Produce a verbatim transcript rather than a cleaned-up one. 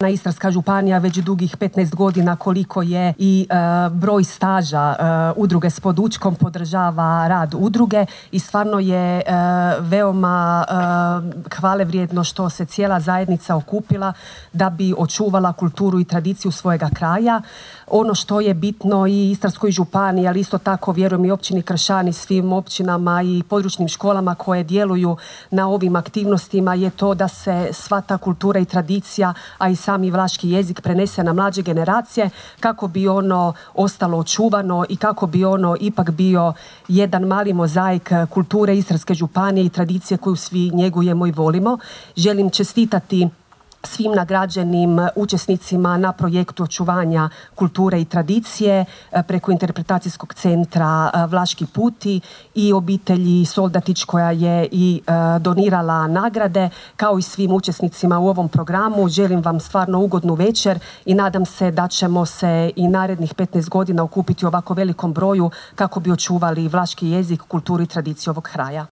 Na Istarska županija već dugih petnaest godina koliko je i e, broj staža e, udruge s Podučkom podržava rad udruge i stvarno je e, veoma e, hvalevrijedno što se cijela zajednica okupila da bi očuvala kulturu i tradiciju svojega kraja. Ono što je bitno i Istarskoj županiji, ali isto tako vjerujem i općini Kršani, svim općinama i područnim školama koje djeluju na ovim aktivnostima je to da se sva ta kultura i tradicija, a i sami vlaški jezik prenese na mlađe generacije kako bi ono ostalo očuvano i kako bi ono ipak bio jedan mali mozaik kulture Istarske županije i tradicije koju svi njegujemo i volimo. Želim čestitati svim nagrađenim učesnicima na projektu očuvanja kulture i tradicije preko interpretacijskog centra Vlaški puti i obitelji Soldatić koja je i donirala nagrade, kao i svim učesnicima u ovom programu. Želim vam stvarno ugodnu večer i nadam se da ćemo se i narednih petnaest godina okupiti u ovako velikom broju kako bi očuvali vlaški jezik, kulturu i tradiciju ovog kraja.